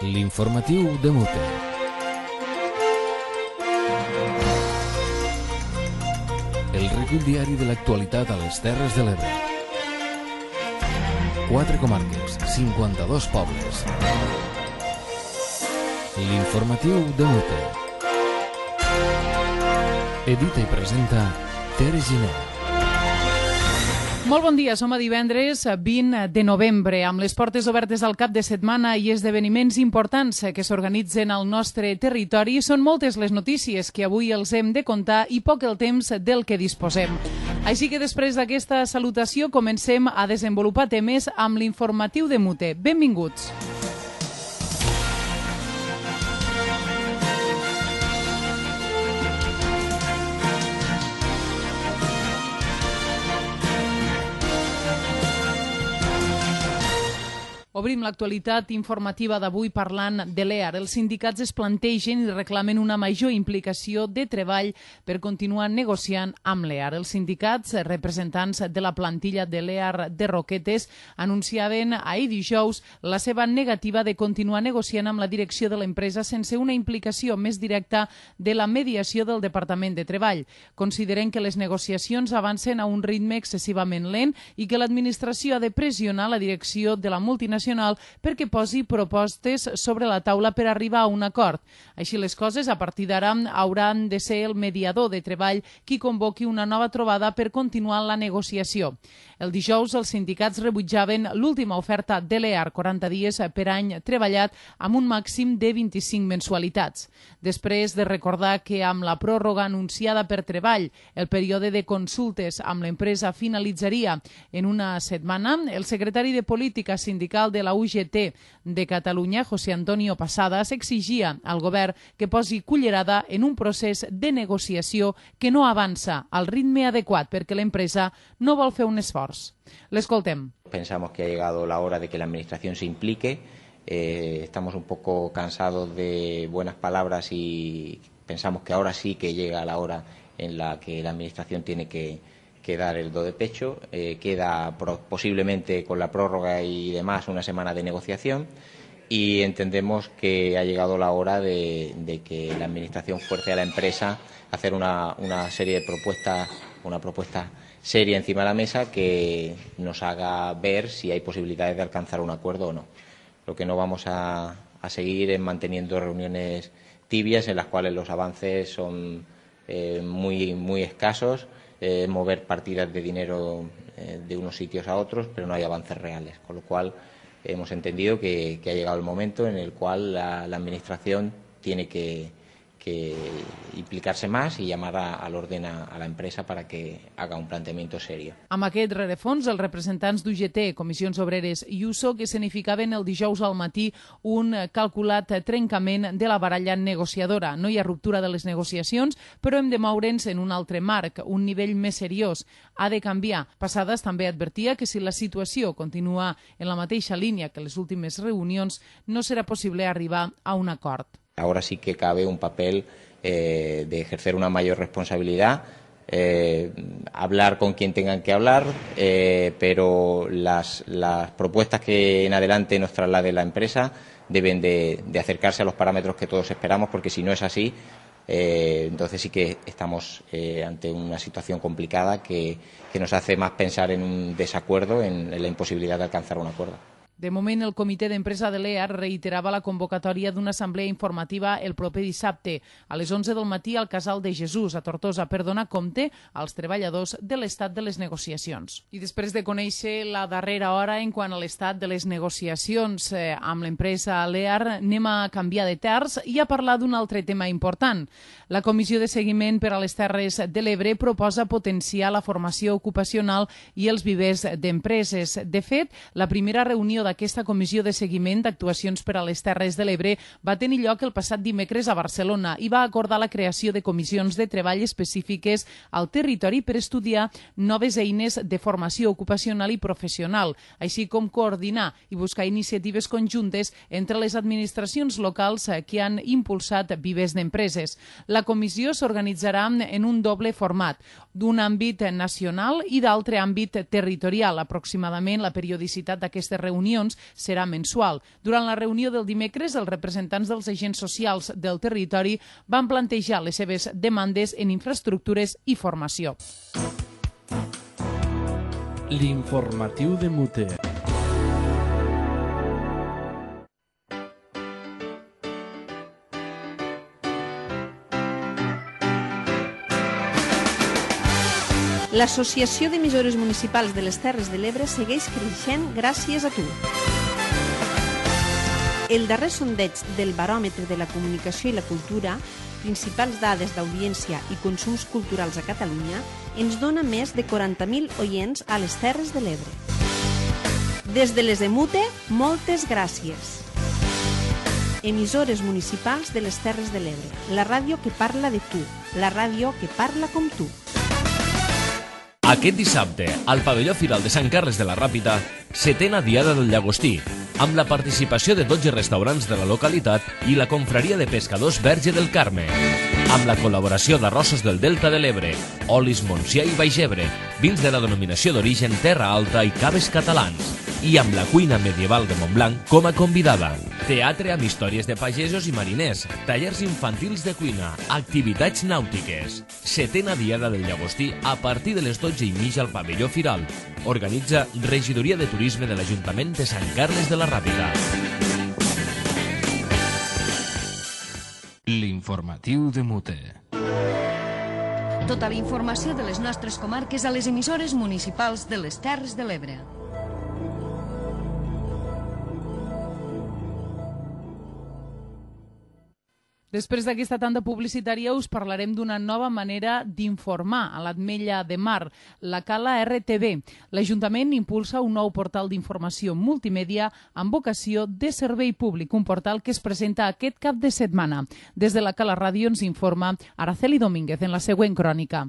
L'informatiu de Mute. El recull diari de l'actualitat a les Terres de l'Ebre. 4 comarques, 52 pobles. L'informatiu de Mute. Edita i presenta Tere Giner. Molt bon dia, som a divendres 20 de novembre, amb les portes obertes al cap de setmana i esdeveniments importants que s'organitzen al nostre territori. Són moltes les notícies que avui els hem de contar i poc el temps del que disposem. Així que després d'aquesta salutació comencem a desenvolupar temes amb l'informatiu de Mute. Benvinguts. Obrim l'actualitat informativa d'avui parlant de l'EAR. Els sindicats es plantegen i reclamen una major implicació de treball per continuar negociant amb l'EAR. Els sindicats, representants de la plantilla de l'EAR de Roquetes, anunciaven ahir dijous la seva negativa de continuar negociant amb la direcció de l'empresa sense una implicació més directa de la mediació del Departament de Treball. Consideren que les negociacions avancen a un ritme excessivament lent i que l'administració ha de pressionar la direcció de la multinacional perquè posi propostes sobre la taula per arribar a un acord. Així les coses, a partir d'ara hauran de ser el mediador de treball qui convoqui una nova trobada per continuar la negociació. El dijous els sindicats rebutjaven l'última oferta de l'EAR, 40 dies per any treballat amb un màxim de 25 mensualitats. Després de recordar que amb la pròrroga anunciada per Treball, el període de consultes amb l'empresa finalitzaria en una setmana, el secretari de Política Sindical de la UGT de Catalunya, José Antonio Pasadas, exigia al govern que posi cullerada en un procés de negociació que no avança al ritme adequat perquè l'empresa no vol fer un esforç. L'escoltem. Pensamos que ha llegado la hora de que la Administración se implique. Estamos un poco cansados de buenas palabras y pensamos que ahora sí que llega la hora en la que la Administración tiene que dar el do de pecho. Queda posiblemente con la prórroga y demás una semana de negociación y entendemos que ha llegado la hora de que la Administración fuerce a la empresa a hacer una serie de propuestas, una propuesta seria encima de la mesa que nos haga ver si hay posibilidades de alcanzar un acuerdo o no. Lo que no vamos a seguir es manteniendo reuniones tibias en las cuales los avances son muy escasos. Mover partidas de dinero de unos sitios a otros, pero no hay avances reales. Con lo cual hemos entendido que ha llegado el momento en el cual la Administración tiene que implicar-se més i llamar a l'ordre a la empresa para que haga un planteamiento serio. Amb aquest rerefons, els representants d'UGT, Comissions Obreres i USO, que significaven el dijous al matí un calculat trencament de la baralla negociadora. No hi ha ruptura de les negociacions, però hem de moure'ns en un altre marc, un nivell més seriós. Ha de canviar. Pasadas també advertia que si la situació continua en la mateixa línia que les últimes reunions, no serà possible arribar a un acord. Ahora sí que cabe un papel de ejercer una mayor responsabilidad, hablar con quien tengan que hablar, pero las propuestas que en adelante nos traslade la empresa deben de acercarse a los parámetros que todos esperamos, porque si no es así, entonces sí que estamos ante una situación complicada que nos hace más pensar en un desacuerdo, en la imposibilidad de alcanzar un acuerdo. De moment, el comitè d'empresa de l'EAR reiterava la convocatòria d'una assemblea informativa el proper dissabte a les 11 del matí al Casal de Jesús, a Tortosa, per donar compte als treballadors de l'estat de les negociacions. I després de conèixer la darrera hora en quant a l'estat de les negociacions amb l'empresa l'EAR, anem a canviar de terç i a parlar d'un altre tema important. La Comissió de Seguiment per a les Terres de l'Ebre proposa potenciar la formació ocupacional i els vivers d'empreses. De fet, la primera reunió d'aquesta comissió de seguiment d'actuacions per a les Terres de l'Ebre va tenir lloc el passat dimecres a Barcelona i va acordar la creació de comissions de treball específiques al territori per estudiar noves eines de formació ocupacional i professional, així com coordinar i buscar iniciatives conjuntes entre les administracions locals que han impulsat vivers d'empreses. La comissió s'organitzarà en un doble format, d'un àmbit nacional i d'altre àmbit territorial. Aproximadament la periodicitat d'aquestes reunions reunions serà mensual. Durant la reunió del dimecres, els representants dels agents socials del territori van plantejar les seves demandes en infraestructures i formació. L'informatiu de Mute. L'Associació d'Emissores Municipals de les Terres de l'Ebre segueix creixent gràcies a tu. El darrer sondeig del Baròmetre de la Comunicació i la Cultura, principals dades d'audiència i consums culturals a Catalunya, ens dona més de 40.000 oients a les Terres de l'Ebre. Des de les EMUTE, moltes gràcies. Emissores municipals de les Terres de l'Ebre, la ràdio que parla de tu, la ràdio que parla com tu. Aquest dissabte, al pavelló Firal de Sant Carles de la Ràpita, 7a Diada del Llagostí, amb la participació de 12 restaurants de la localitat i la confraria de pescadors Verge del Carme, amb la col·laboració d'Arrossos del Delta de l'Ebre, Olis Montsià i Baix Ebre, vins de la denominació d'origen Terra Alta i Caves Catalans, i amb la cuina medieval de Montblanc com a convidada. Teatre amb històries de pagesos i mariners, tallers infantils de cuina, activitats nàutiques. 7a Diada del Llagostí a partir de les 12:30 al pavelló Firal. Organitza Regidoria de Turisme de l'Ajuntament de Sant Carles de la Ràpita. L'informatiu de Mute. Tota la informació de les nostres comarques a les emissores municipals de les Terres de l'Ebre. Després d'aquesta tanda publicitària us parlarem d'una nova manera d'informar a l'Ametlla de Mar, la Cala RTV. L'Ajuntament impulsa un nou portal d'informació multimèdia amb vocació de servei públic, un portal que es presenta aquest cap de setmana. Des de la Cala Ràdio ens informa Araceli Domínguez en la següent crònica.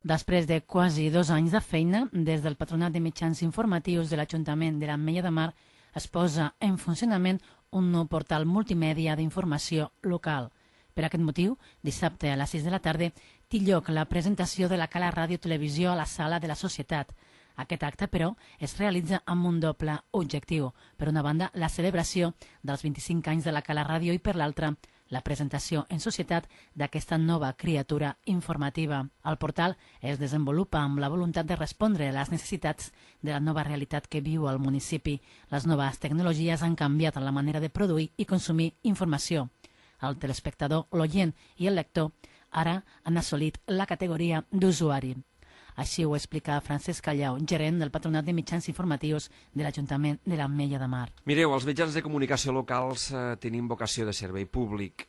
Després de quasi 2 anys de feina, des del Patronat de Mitjans Informatius de l'Ajuntament de l'Ametlla de Mar es posa en funcionament un nou portal multimèdia d'informació local. Per aquest motiu, dissabte a les 6 de la tarda té lloc la presentació de la Cala Ràdio Televisió a la Sala de la Societat. Aquest acte, però, es realitza amb un doble objectiu. Per una banda, la celebració dels 25 anys de la Cala Ràdio i per l'altra, la presentació en societat d'aquesta nova criatura informativa. El portal es desenvolupa amb la voluntat de respondre a les necessitats de la nova realitat que viu el municipi. Les noves tecnologies han canviat la manera de produir i consumir informació. El telespectador, l'oient i el lector ara han assolit la categoria d'usuari. Així ho explica Francesc Callau, gerent del Patronat de Mitjans Informatius de l'Ajuntament de l'Ametlla de Mar. Mireu, els mitjans de comunicació locals tenim vocació de servei públic.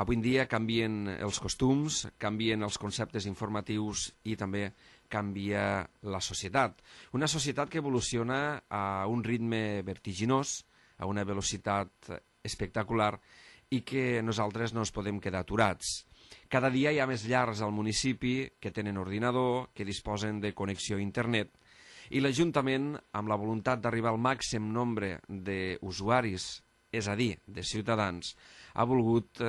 Avui en dia canvien els costums, canvien els conceptes informatius i també canvia la societat. Una societat que evoluciona a un ritme vertiginós, a una velocitat espectacular i que nosaltres no ens podem quedar aturats. Cada dia hi ha més llars al municipi que tenen ordinador, que disposen de connexió a internet, i l'Ajuntament, amb la voluntat d'arribar al màxim nombre d'usuaris, és a dir, de ciutadans, ha volgut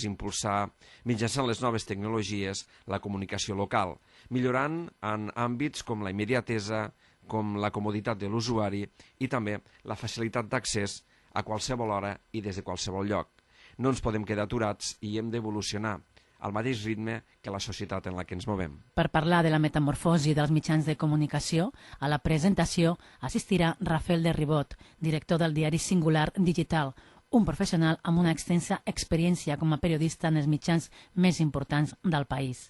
impulsar, mitjançant les noves tecnologies, la comunicació local, millorant en àmbits com la immediatesa, com la comoditat de l'usuari i també la facilitat d'accés a qualsevol hora i des de qualsevol lloc. No ens podem quedar aturats i hem d'evolucionar al mateix ritme que la societat en la que ens movem. Per parlar de la metamorfosi dels mitjans de comunicació, a la presentació assistirà Rafael de Ribot, director del diari Singular Digital, un professional amb una extensa experiència com a periodista en els mitjans més importants del país.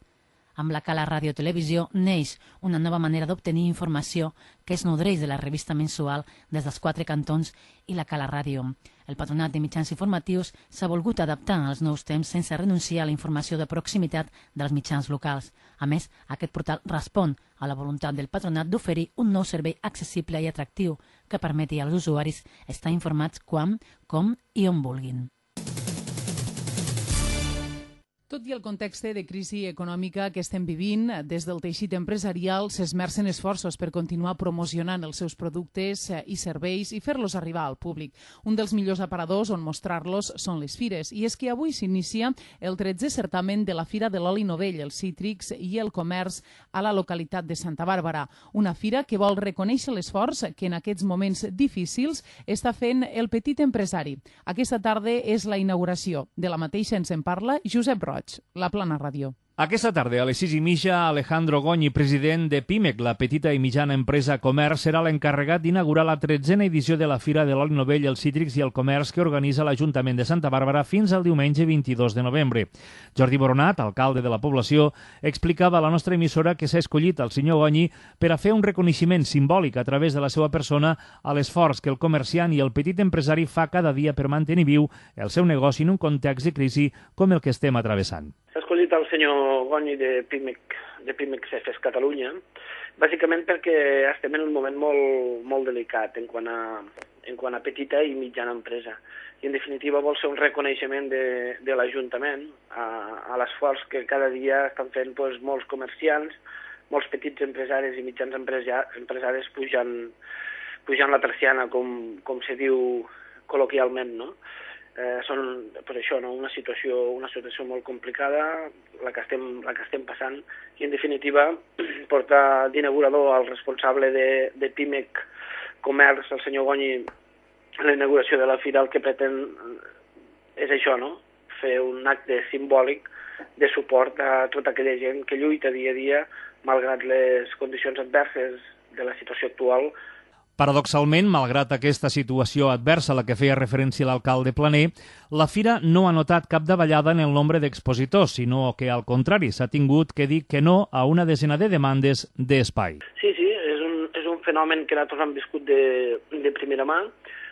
Amb la Cala Ràdio Televisió neix una nova manera d'obtenir informació que es nodreix de la revista mensual des dels 4 cantons i la Cala Ràdio. El Patronat de Mitjans Informatius s'ha volgut adaptar als nous temps sense renunciar a la informació de proximitat dels mitjans locals. A més, aquest portal respon a la voluntat del Patronat d'oferir un nou servei accessible i atractiu que permeti als usuaris estar informats quan, com i on vulguin. Tot i el context de crisi econòmica que estem vivint, des del teixit empresarial s'esmercen esforços per continuar promocionant els seus productes i serveis i fer-los arribar al públic. Un dels millors aparadors on mostrar-los són les fires. I és que avui s'inicia el 13è certamen de la Fira de l'Oli Novell, els cítrics i el comerç a la localitat de Santa Bàrbara. Una fira que vol reconèixer l'esforç que en aquests moments difícils està fent el petit empresari. Aquesta tarda és la inauguració. De la mateixa ens en parla Josep Roig, La Plana Ràdio. Aquesta tarda, a les 6:30, Alejandro Goñi, president de PIMEC, la petita i mitjana empresa comerç, serà l'encarregat d'inaugurar la 13a edició de la Fira de l'Oli Novell, els cítrics i el comerç que organitza l'Ajuntament de Santa Bàrbara fins al diumenge 22 de novembre. Jordi Boronat, alcalde de la població, explicava a la nostra emissora que s'ha escollit el senyor Goñi per a fer un reconeixement simbòlic a través de la seva persona a l'esforç que el comerciant i el petit empresari fa cada dia per mantenir viu el seu negoci en un context de crisi com el que estem atravessant. S'ha escollit el senyor Goñi de PIMEC CEFES Catalunya, bàsicament perquè estem en un moment molt delicat en quant a petita i mitjana empresa. I en definitiva vol ser un reconeixement de l'Ajuntament a l'esforç que cada dia estan fent molts comerciants, molts petits empresaris i mitjans empresaris pujant la persiana, com se diu col·loquialment, no? Són per això una situació molt complicada la que estem passant i en definitiva portar d'inaugurador al responsable de PIMEC Comerç, el senyor Goñi, a la inauguració de la fira. El que pretén és això, no? Fer un acte simbòlic de suport a tota aquella gent que lluita dia a dia malgrat les condicions adverses de la situació actual. Paradoxalment, malgrat aquesta situació adversa a la que feia referència l'alcalde Planer, la fira no ha notat cap davallada en el nombre d'expositors, sinó que, al contrari, s'ha tingut que dir que no a una desena de demandes d'espai. Sí, és un fenomen que nosaltres hem viscut de primera mà.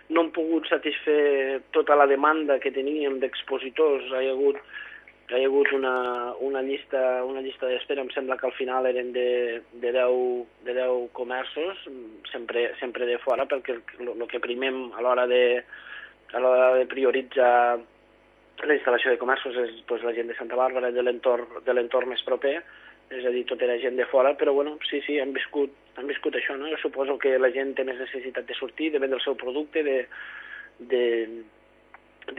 No hem pogut satisfer tota la demanda que teníem d'expositors. Hi ha hagut una llista d'espera, em sembla que al final eren de 10 comerços, sempre de fora, perquè el que primem a l'hora de prioritzar la instal·lació de comerços és la gent de Santa Bàrbara, de l'entorn més proper, és a dir, tot era gent de fora, però bueno, sí, hem viscut això, no? Jo suposo que la gent té més necessitat de sortir, de vendre el seu producte, de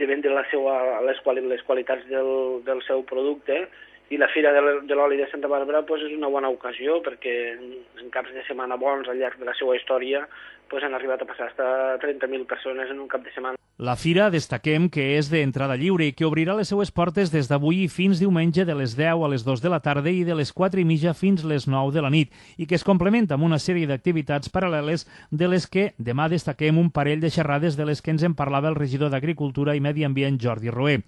vendre les qualitats del seu producte, i la Fira de l'Oli de Santa Bàrbara és una bona ocasió perquè en caps de setmana bons al llarg de la seva història han arribat a passar fins a 30.000 persones en un cap de setmana. La fira, destaquem que és d'entrada lliure i que obrirà les seues portes des d'avui fins diumenge de les 10 a les 2 de la tarda i de les 4:30 fins les 9 de la nit, i que es complementa amb una sèrie d'activitats paral·leles de les que demà destaquem un parell de xerrades de les que ens en parlava el regidor d'Agricultura i Medi Ambient, Jordi Roé.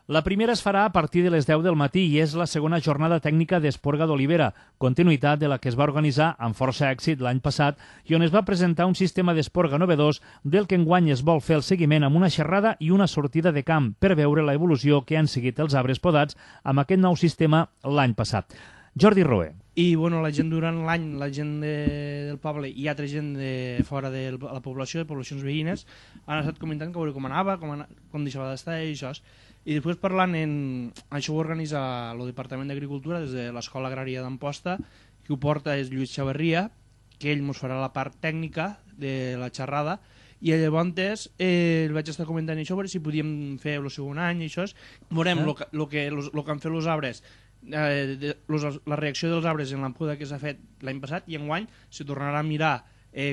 La primera es farà a partir de les 10 del matí i és la segona jornada tècnica d'Esporga d'Olivera, continuïtat de la que es va organitzar amb força èxit l'any passat i on es va presentar un sistema d'esporga novedós del que enguany es vol fer el seguiment amb una xerrada i una sortida de camp per veure l'evolució que han seguit els arbres podats amb aquest nou sistema l'any passat. Jordi Roé. I la gent durant l'any, la gent del poble i altra gent de fora de la població, de poblacions veïnes, han estat comentant que veure com anava, com deixava d'estar i això. I després parlant això ho organitza el Departament d'Agricultura des de l'Escola Agrària d'Amposta, qui ho porta és Lluís Xavarria, que ell ens farà la part tècnica de la xerrada, i llavors el vaig estar comentant això, veure si podíem fer el segon any i això. Veurem el que han fet els arbres, la reacció dels arbres en la poda que s'ha fet l'any passat, i enguany se tornarà a mirar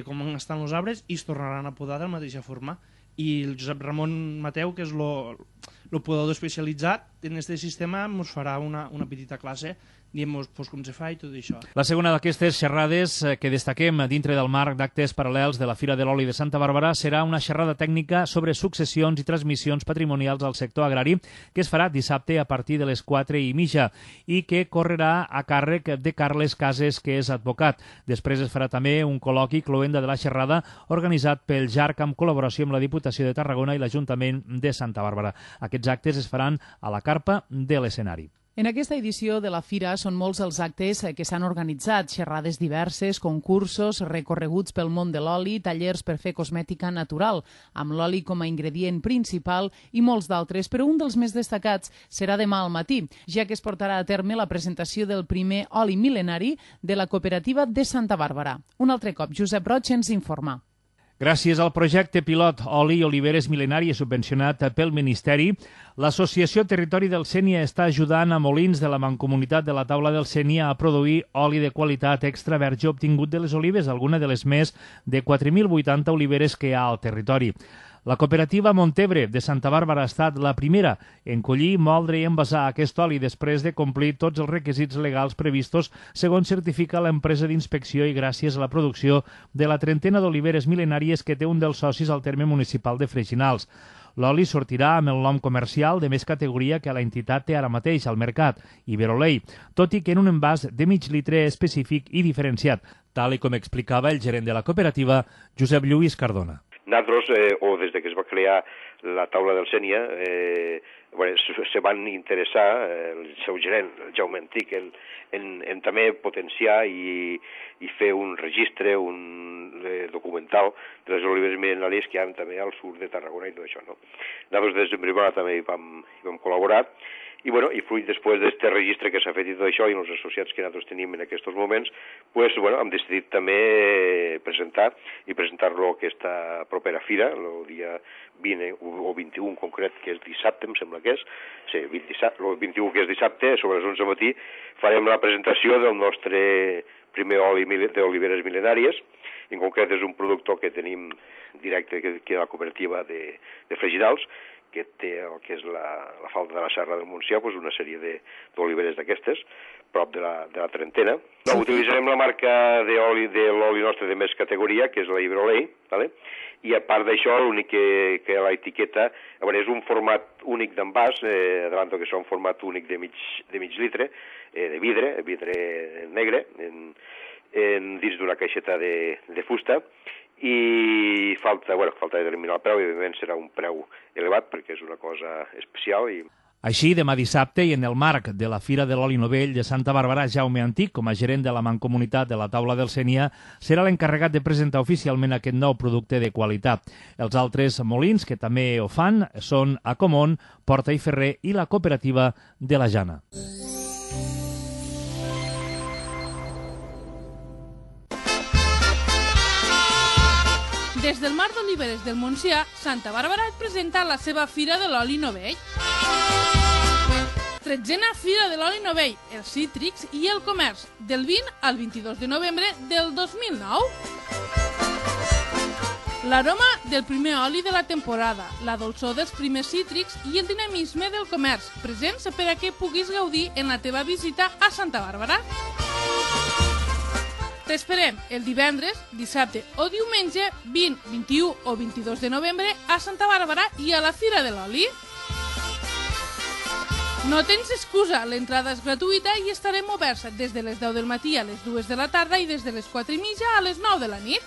com estan els arbres i es tornaran a podar de la mateixa forma. I el Josep Ramon Mateu, que és el podador especialitzat en aquest sistema, ens farà una petita classe dient-nos com se fa i tot això. La segona d'aquestes xerrades que destaquem dintre del marc d'actes paral·lels de la Fira de l'Oli de Santa Bàrbara serà una xerrada tècnica sobre successions i transmissions patrimonials al sector agrari que es farà dissabte a partir de les 4:30 i que correrà a càrrec de Carles Cases, que és advocat. Després es farà també un col·loqui cloenda de la xerrada organitzat pel JARC amb col·laboració amb la Diputació de Tarragona i l'Ajuntament de Santa Bàrbara. Aquests actes es faran a la carpa de l'escenari. En aquesta edició de la Fira són molts els actes que s'han organitzat, xerrades diverses, concursos, recorreguts pel món de l'oli, tallers per fer cosmètica natural, amb l'oli com a ingredient principal i molts d'altres, però un dels més destacats serà demà al matí, ja que es portarà a terme la presentació del primer oli mil·lenari de la cooperativa de Santa Bàrbara. Un altre cop, Josep Roig ens informa. Gràcies al projecte pilot Oli i Oliveres Mil·lenàries subvencionat pel Ministeri, l'Associació Territori del Sénia està ajudant a molins de la Mancomunitat de la Taula del Sénia a produir oli de qualitat extra verge obtingut de les olives, alguna de les més de 4.080 oliveres que hi ha al territori. La cooperativa Montebre de Santa Bàrbara ha estat la primera en collir, moldre i envasar aquest oli després de complir tots els requisits legals previstos, segons certifica l'empresa d'inspecció i gràcies a la producció de la trentena d'oliveres mil·lenàries que té un dels socis al terme municipal de Freixinals. L'oli sortirà amb el nom comercial de més categoria que l'entitat té ara mateix al mercat, Iberolei, tot i que en un envàs de mig litre específic i diferenciat, tal com explicava el gerent de la cooperativa, Josep Lluís Cardona. Nosaltres, o des que es va crear la taula del Sénia, se van interessar, el seu gerent, el Jaume Antic, en també potenciar i fer un registre, un documental de les oliveres mil·lenàries que hi ha també al sud de Tarragona i tot això, no? Nosaltres des de primera també hi vam col·laborar i fruit després d'aquest registre que s'ha fet i tot això i els associats que nosaltres tenim en aquests moments, hem decidit també presentar-lo a aquesta propera fira, el dia 20 o 21 concret, que és dissabte, em sembla que és, sí, el 21 que és dissabte, sobre les 11 del matí, farem la presentació del nostre primer oli d'oliveres mil·lenàries. En concret és un productor que tenim directe que la cooperativa de Freixinals, que té el que és la falda de la Serra del Montsià, una sèrie d'oliveres d'aquestes, prop de la trentena. Utilitzarem la marca de l'oli nostre de més categoria, que és la Iberolei, i a part d'això, l'únic que l'etiqueta és un format únic d'envàs, adelanto que és un format únic de mig litre, de vidre negre, dins d'una caixeta de fusta, i falta determinar el preu, i evidentment serà un preu elevat perquè és una cosa especial. Així, demà dissabte, i en el marc de la Fira de l'Oli Novell de Santa Bàrbara, Jaume Antic, com a gerent de la Mancomunitat de la Taula del Sénia, serà l'encarregat de presentar oficialment aquest nou producte de qualitat. Els altres molins que també ho fan són Acomon, Porta i Ferrer i la cooperativa de la Jana. Des del Mar d'Oliveres del Montsià, Santa Bàrbara et presenta la seva Fira de l'Oli Novell. 13a Fira de l'Oli Novell, els cítrics i el comerç, del 20 al 22 de novembre del 2009. L'aroma del primer oli de la temporada, la dolçor dels primers cítrics i el dinamisme del comerç, presents per a que puguis gaudir en la teva visita a Santa Bàrbara. T'esperem el divendres, dissabte o diumenge 20, 21 o 22 de novembre a Santa Bàrbara i a la Fira de l'Oli. No tens excusa, l'entrada és gratuïta i estarem oberts des de les 10 del matí a les 2 de la tarda i des de les 4:30 a les 9 de la nit.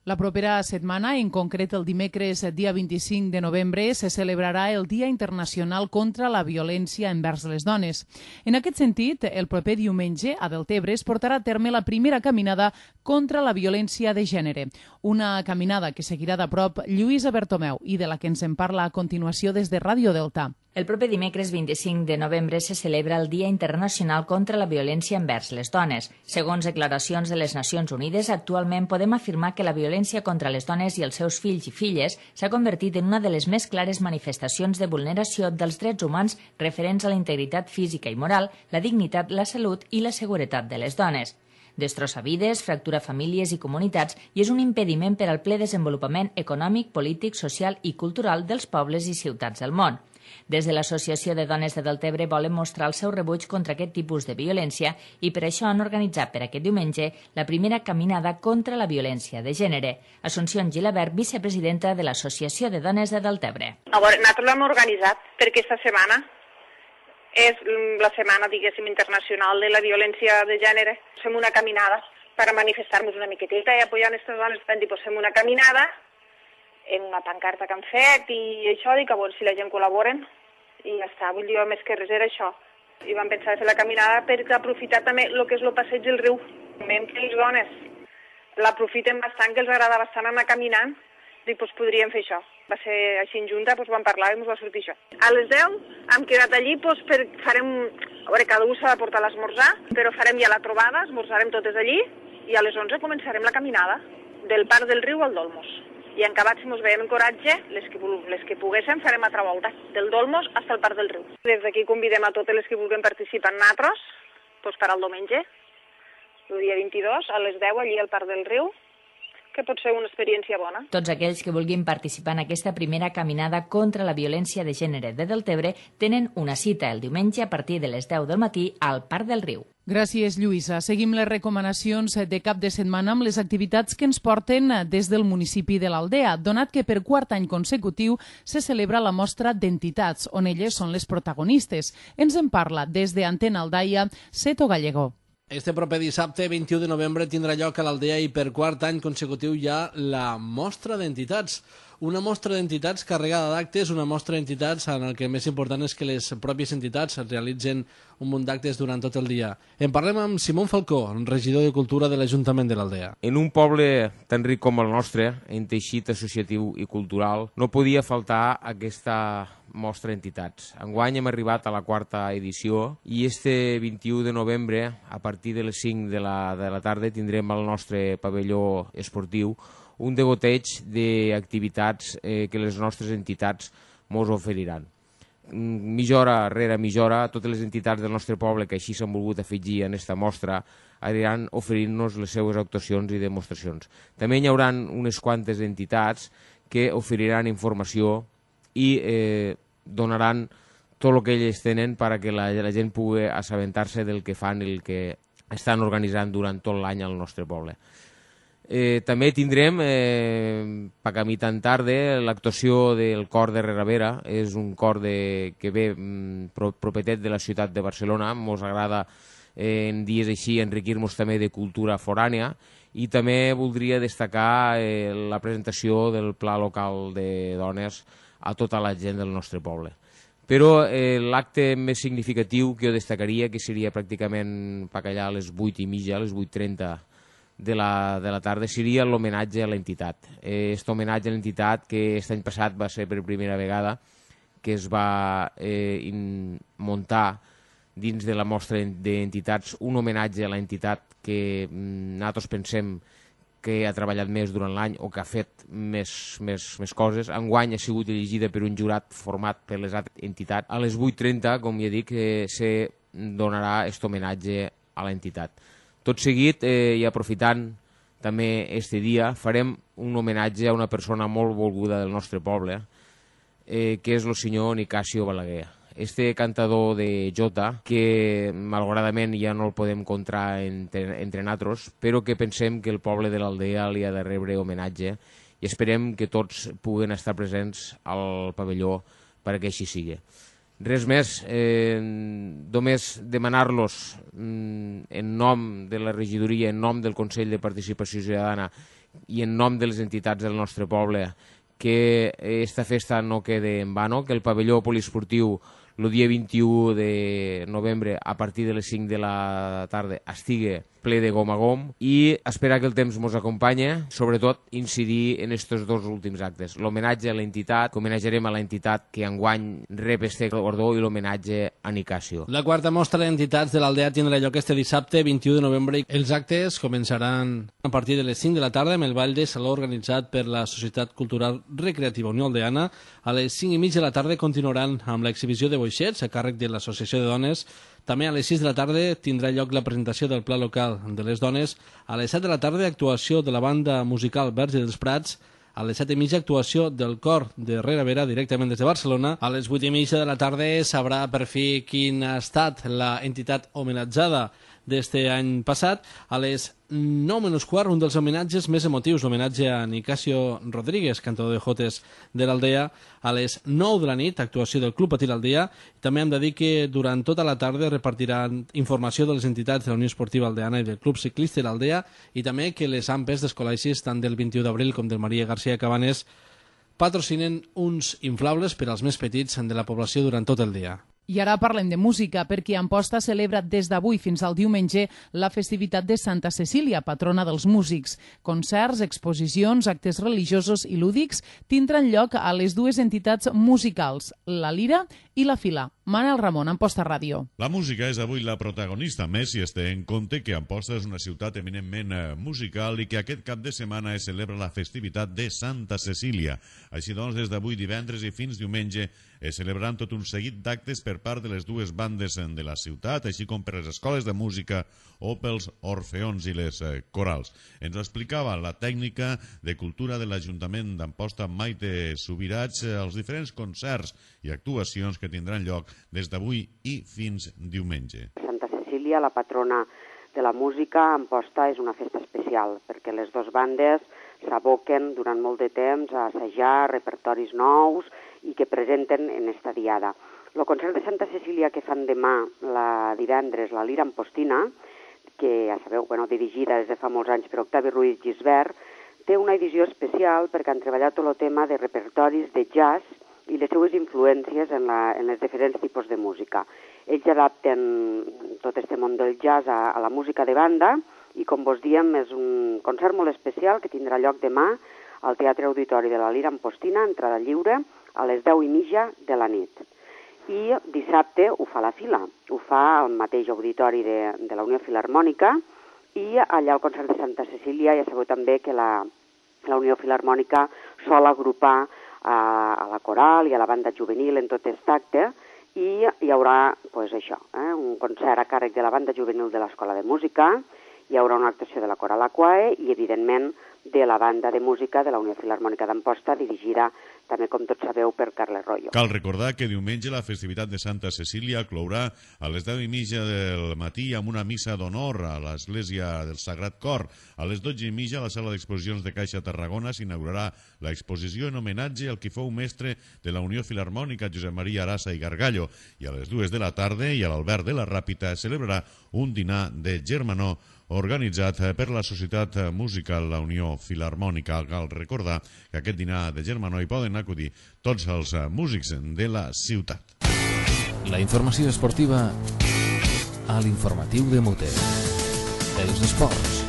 La propera setmana, en concret el dimecres dia 25 de novembre, se celebrarà el Dia Internacional contra la Violència envers les Dones. En aquest sentit, el proper diumenge a Deltebre es portarà a terme la primera caminada contra la violència de gènere. Una caminada que seguirà de prop Lluïsa Bertomeu i de la que ens en parla a continuació des de Ràdio Delta. El proper dimecres 25 de novembre se celebra el Dia Internacional contra la Violència envers les Dones. Segons declaracions de les Nacions Unides, actualment podem afirmar que la violència contra les dones i els seus fills i filles s'ha convertit en una de les més clares manifestacions de vulneració dels drets humans referents a la integritat física i moral, la dignitat, la salut i la seguretat de les dones. Destrossa vides, fractura famílies i comunitats i és un impediment per al ple desenvolupament econòmic, polític, social i cultural dels pobles i ciutats del món. Des de l'Associació de Dones de Deltebre volen mostrar el seu rebuig contra aquest tipus de violència i per això han organitzat per aquest diumenge la primera caminada contra la violència de gènere. Assumpció Gilabert, vicepresidenta de l'Associació de Dones de Deltebre. Nosaltres l'hem organitzat perquè aquesta setmana és la setmana, diguéssim, internacional de la violència de gènere. Fem una caminada para manifestar-nos una miqueteta i apoyar aquestes dones. Vam dir, fem una caminada en una pancarta que han fet i això, dic, a veure si la gent col·laboren i ja està. Vull dir, més que res era això. I vam pensar de fer la caminada per aprofitar també el que és el passeig del riu. Veiem que les dones l'aprofiten bastant, que els agrada bastant anar caminant, dic, doncs podríem fer això. Va ser així en junta, doncs vam parlar i ens va sortir això. A les 10 hem quedat allí, doncs farem, a veure, cada un s'ha de portar l'esmorzar, però farem ja la trobada, esmorzarem totes allí, i a les 11 començarem la caminada del Parc del Riu al Dolmos. I en acabat, si ens veiem en coratge, les que poguéssim farem altra volta, del Dolmos fins al Parc del Riu. Des d'aquí convidem a totes les que vulguin participar en nosaltres, doncs per al diumenge, el dia 22, a les 10, allí al Parc del Riu, que pot ser una experiència bona. Tots aquells que vulguin participar en aquesta primera caminada contra la violència de gènere de Deltebre tenen una cita el diumenge a partir de les 10 del matí al Parc del Riu. Gràcies, Lluïsa. Seguim les recomanacions de cap de setmana amb les activitats que ens porten des del municipi de l'Aldea, donat que per quart any consecutiu se celebra la mostra d'entitats, on elles són les protagonistes. Ens en parla des de Antena Aldaia, Seto Gallego. Este proper dissabte, 21 de novembre, tindrà lloc a l'Aldea i per quart any consecutiu hi ha la mostra d'entitats. Una mostra d'entitats carregada d'actes, una mostra d'entitats en el que més important és que les pròpies entitats realitzen un munt d'actes durant tot el dia. En parlem amb Simón Falcó, regidor de Cultura de l'Ajuntament de l'Aldea. En un poble tan ric com el nostre, en teixit associatiu i cultural, no podia faltar aquesta mostra d'entitats. Enguany hem arribat a la quarta edició i este 21 de novembre, a partir de les 5 de la tarda, tindrem al nostre pavelló esportiu un degoteig d'activitats que les nostres entitats mos oferiran. Mitja hora rere mitja hora, totes les entitats del nostre poble que així s'han volgut afegir en aquesta mostra aniran oferint-nos les seues actuacions i demostracions. També hi haurà unes quantes entitats que oferiran informació i donaran tot el que elles tenen perquè la gent pugui assabentar-se del que fan i el que estan organitzant durant tot l'any al nostre poble. També tindrem, per camí tan tarda, l'actuació del cor de Rerabera. És un cor que ve propietat de la ciutat de Barcelona. Ens agrada en dies així enriquir-nos també de cultura forània i també voldria destacar la presentació del Pla Local de Dones a tota la gent del nostre poble. Però l'acte més significatiu que jo destacaria, que seria pràcticament per allà a les 8:30, a les 8:30 de la tarda, seria l'homenatge a l'entitat. Aquest homenatge a l'entitat que aquest any passat va ser per primera vegada que es va muntar dins de la mostra d'entitats un homenatge a l'entitat que nosaltres pensem que ha treballat més durant l'any o que ha fet més coses. Enguany ha sigut elegida per un jurat format per les altres entitats. A les 8:30, com ja dic, se donarà aquest homenatge a l'entitat. Tot seguit, i aprofitant també este dia, farem un homenatge a una persona molt volguda del nostre poble, que és el senyor Nicasio Balaguer. Este cantador de jota, que malauradament ja no el podem encontrar entre nosaltres, però que pensem que el poble de l'Aldea li ha de rebre homenatge i esperem que tots puguen estar presents al pavelló perquè així sigui. Res més, només demanar-los en nom de la regidoria, en nom del Consell de Participació Ciutadana i en nom de les entitats del nostre poble que aquesta festa no quede en vano, que el pavelló poliesportiu el dia 21 de novembre a partir de les 5 de la tarda estigui ple de gom a gom i esperar que el temps ens acompanyi, sobretot incidir en aquests dos últims actes. L'homenatge a l'entitat, que homenatjarem a l'entitat que enguany rep este guardó, i l'homenatge a Nicasio. La quarta mostra d'entitats de l'Aldea tindrà lloc este dissabte 21 de novembre. Els actes començaran a partir de les 5 de la tarda amb el ball de saló organitzat per la Societat Cultural Recreativa Unió Aldeana. A les 5:30 de la tarda continuaran amb l'exhibició de boixets a càrrec de l'Associació de Dones. També a les 6 de la tarda tindrà lloc la presentació del Pla Local de les Dones. A les 7 de la tarda, actuació de la banda musical Verge dels Prats. A les 7:30, actuació del cor de Rerabera directament des de Barcelona. A les 8:30 de la tarda sabrà per fi quina ha estat la entitat homenatjada d'este any passat. A les 9:15, un dels homenatges més emotius, l'homenatge a Nicasio Rodríguez, cantador de jotes de l'Aldea. A les 9 de la nit, actuació del Club Patí l'Aldea. També hem de dir que durant tota la tarda repartiran informació de les entitats de la Unió Esportiva Aldeana i del Club Ciclista de l'Aldea, i també que les AMPes dels col·legis, tant del 21 d'abril com del Maria García Cabanes, patrocinen uns inflables per als més petits de la població durant tot el dia. I ara parlem de música, perquè Amposta celebra des d'avui fins al diumenge la festivitat de Santa Cecília, patrona dels músics. Concerts, exposicions, actes religiosos i lúdics tindran lloc a les dues entitats musicals, la Lira i la Fila. Manel Ramon, Amposta Ràdio. La música és avui la protagonista, més si es té en compte que Amposta és una ciutat eminentment musical i que aquest cap de setmana es celebra la festivitat de Santa Cecília. Així doncs, des d'avui divendres i fins diumenge es celebraran tot un seguit d'actes per part de les dues bandes de la ciutat, així com per les escoles de música o pels orfeons i les corals. Ens ho explicava la tècnica de cultura de l'Ajuntament d'Amposta, Maite Subirats, els diferents concerts i actuacions que tindran lloc des d'avui i fins diumenge. Santa Cecília, la patrona de la música, a Amposta és una festa especial, perquè les dues bandes s'aboquen durant molt de temps a assajar repertoris nous i que presenten en esta diada. El concert de Santa Cecília que fan demà, divendres, la Lira Ampostina, que ja sabeu, dirigida des de fa molts anys per Octavi Ruiz Gisbert, té una edició especial perquè han treballat tot el tema de repertoris de jazz i les seues influències en els diferents tipus de música. Ells adapten tot aquest món del jazz a la música de banda i, com vos diem, és un concert molt especial que tindrà lloc demà al Teatre Auditori de la Lira Ampostina, entrada lliure, a les 10:30 de la nit. I dissabte ho fa la Fila, ho fa al mateix auditori de la Unió Filharmònica, i allà al concert de Santa Cecília ja sabeu també que la Unió Filharmònica sol agrupar a la coral i a la banda juvenil en tot aquest acte, i hi haurà un concert a càrrec de la banda juvenil de l'Escola de Música, hi haurà una actuació de la coral Aquae i, evidentment, de la banda de música de la Unió Filharmònica d'Amposta, dirigida també, com tots sabeu, per Carles Royo. Cal recordar que diumenge la festivitat de Santa Cecília clourà a les 10:30 del matí amb una missa d'honor a l'Església del Sagrat Cor. A les 12:30 a la sala d'exposicions de Caixa Tarragona s'inaugurarà l'exposició en homenatge al qui fou mestre de la Unió Filharmònica, Josep Maria Arasa i Gargallo. I a les 2 de la tarda i a l'Albert de la Ràpita es celebrarà un dinar de germanor organitzat per la Societat Musical La Unió Filharmònica. Cal recordar que aquest dinar de germanor hi poden acudir tots els músics de la ciutat. La informació esportiva a l'informatiu de Mote. Els esports.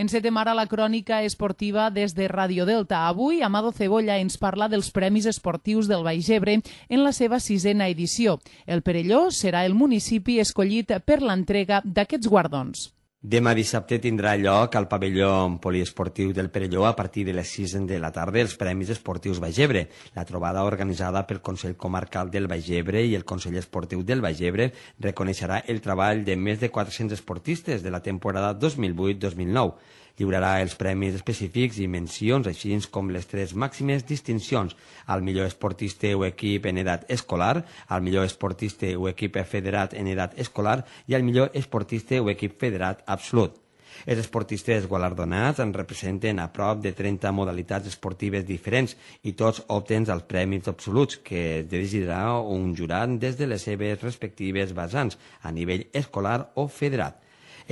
Encetem ara la crònica esportiva des de Radio Delta. Avui, Amado Cebolla ens parla dels Premis Esportius del Baix Ebre en la seva 6a edició. El Perelló serà el municipi escollit per l'entrega d'aquests guardons. Demà dissabte tindrà lloc al pavelló poliesportiu del Perelló a partir de les 6 de la tarda els Premis Esportius Baix Ebre. La trobada organitzada pel Consell Comarcal del Baix Ebre i el Consell Esportiu del Baix Ebre reconeixerà el treball de més de 400 esportistes de la temporada 2008-2009. Lliurarà els premis específics i mencions, així com les 3 màximes distincions: al millor esportista o equip en edat escolar, al millor esportista o equip federat en edat escolar i al millor esportista o equip federat absolut. Els esportistes guardonats en representen a prop de 30 modalitats esportives diferents i tots opten als premis absoluts, que dirigirà un jurat des de les seves respectives vessants a nivell escolar o federat.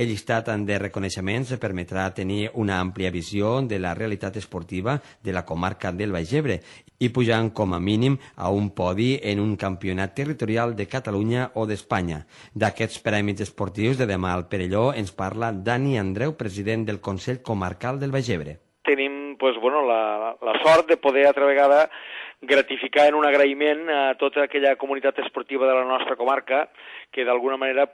El llistat de reconeixements permetrà tenir una àmplia visió de la realitat esportiva de la comarca del Baix Ebre i pujant com a mínim a un podi en un campionat territorial de Catalunya o d'Espanya. D'aquests premis esportius de demà al Perelló ens parla Dani Andreu, president del Consell Comarcal del Baix Ebre. Tenim la sort de poder altra vegada gratificar en un agraïment a tota aquella comunitat esportiva de la nostra comarca que d'alguna manera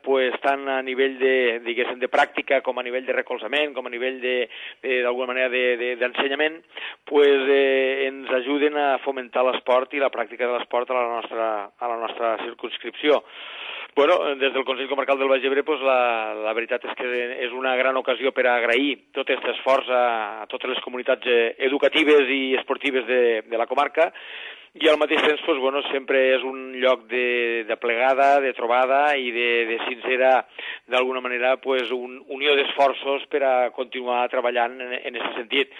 tant a nivell de pràctica com a nivell de recolzament, com a nivell d'alguna manera d'ensenyament, ens ajuden a fomentar l'esport i la pràctica de l'esport a la nostra circumscripció. Des del Consell Comarcal del Baix Ebre la veritat és que és una gran ocasió per a agrair tot aquest esforç a totes les comunitats educatives i esportives de la comarca i al mateix temps sempre és un lloc de plegada, de trobada i de sincera, d'alguna manera, unió d'esforços per a continuar treballant en aquest sentit.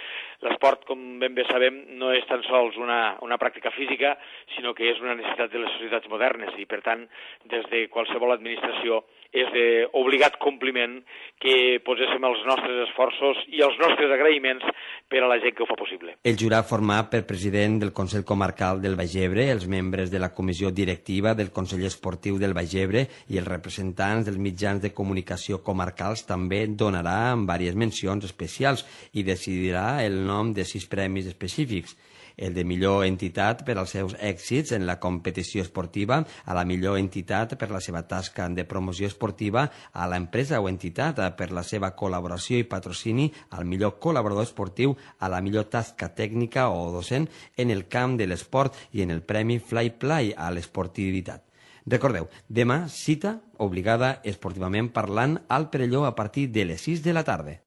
L'esport, com ben bé sabem, no és tan sols una pràctica física, sinó que és una necessitat de les societats modernes i, per tant, des de qualsevol administració és d'obligat compliment que poséssim els nostres esforços i els nostres agraïments per a la gent que ho fa possible. El jurat format per president del Consell Comarcal del Baix Ebre, els membres de la comissió directiva del Consell Esportiu del Baix Ebre i els representants dels mitjans de comunicació comarcals també donarà diverses mencions especials i decidirà el nom de 6 premis específics. El de millor entitat per als seus èxits en la competició esportiva, a la millor entitat per la seva tasca de promoció esportiva, a l'empresa o entitat per la seva col·laboració i patrocini, al millor col·laborador esportiu, a la millor tasca tècnica o docent en el camp de l'esport i en el premi Fly Play a l'esportivitat. Recordeu, demà cita obligada esportivament parlant al Perelló a partir de les 6 de la tarda.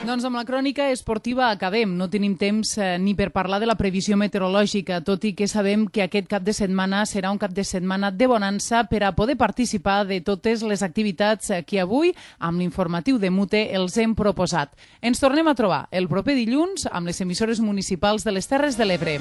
Doncs amb la crònica esportiva acabem. No tenim temps ni per parlar de la previsió meteorològica, tot i que sabem que aquest cap de setmana serà un cap de setmana de bonança per a poder participar de totes les activitats que avui, amb l'informatiu de Mute, els hem proposat. Ens tornem a trobar el proper dilluns amb les emissores municipals de les Terres de l'Ebre.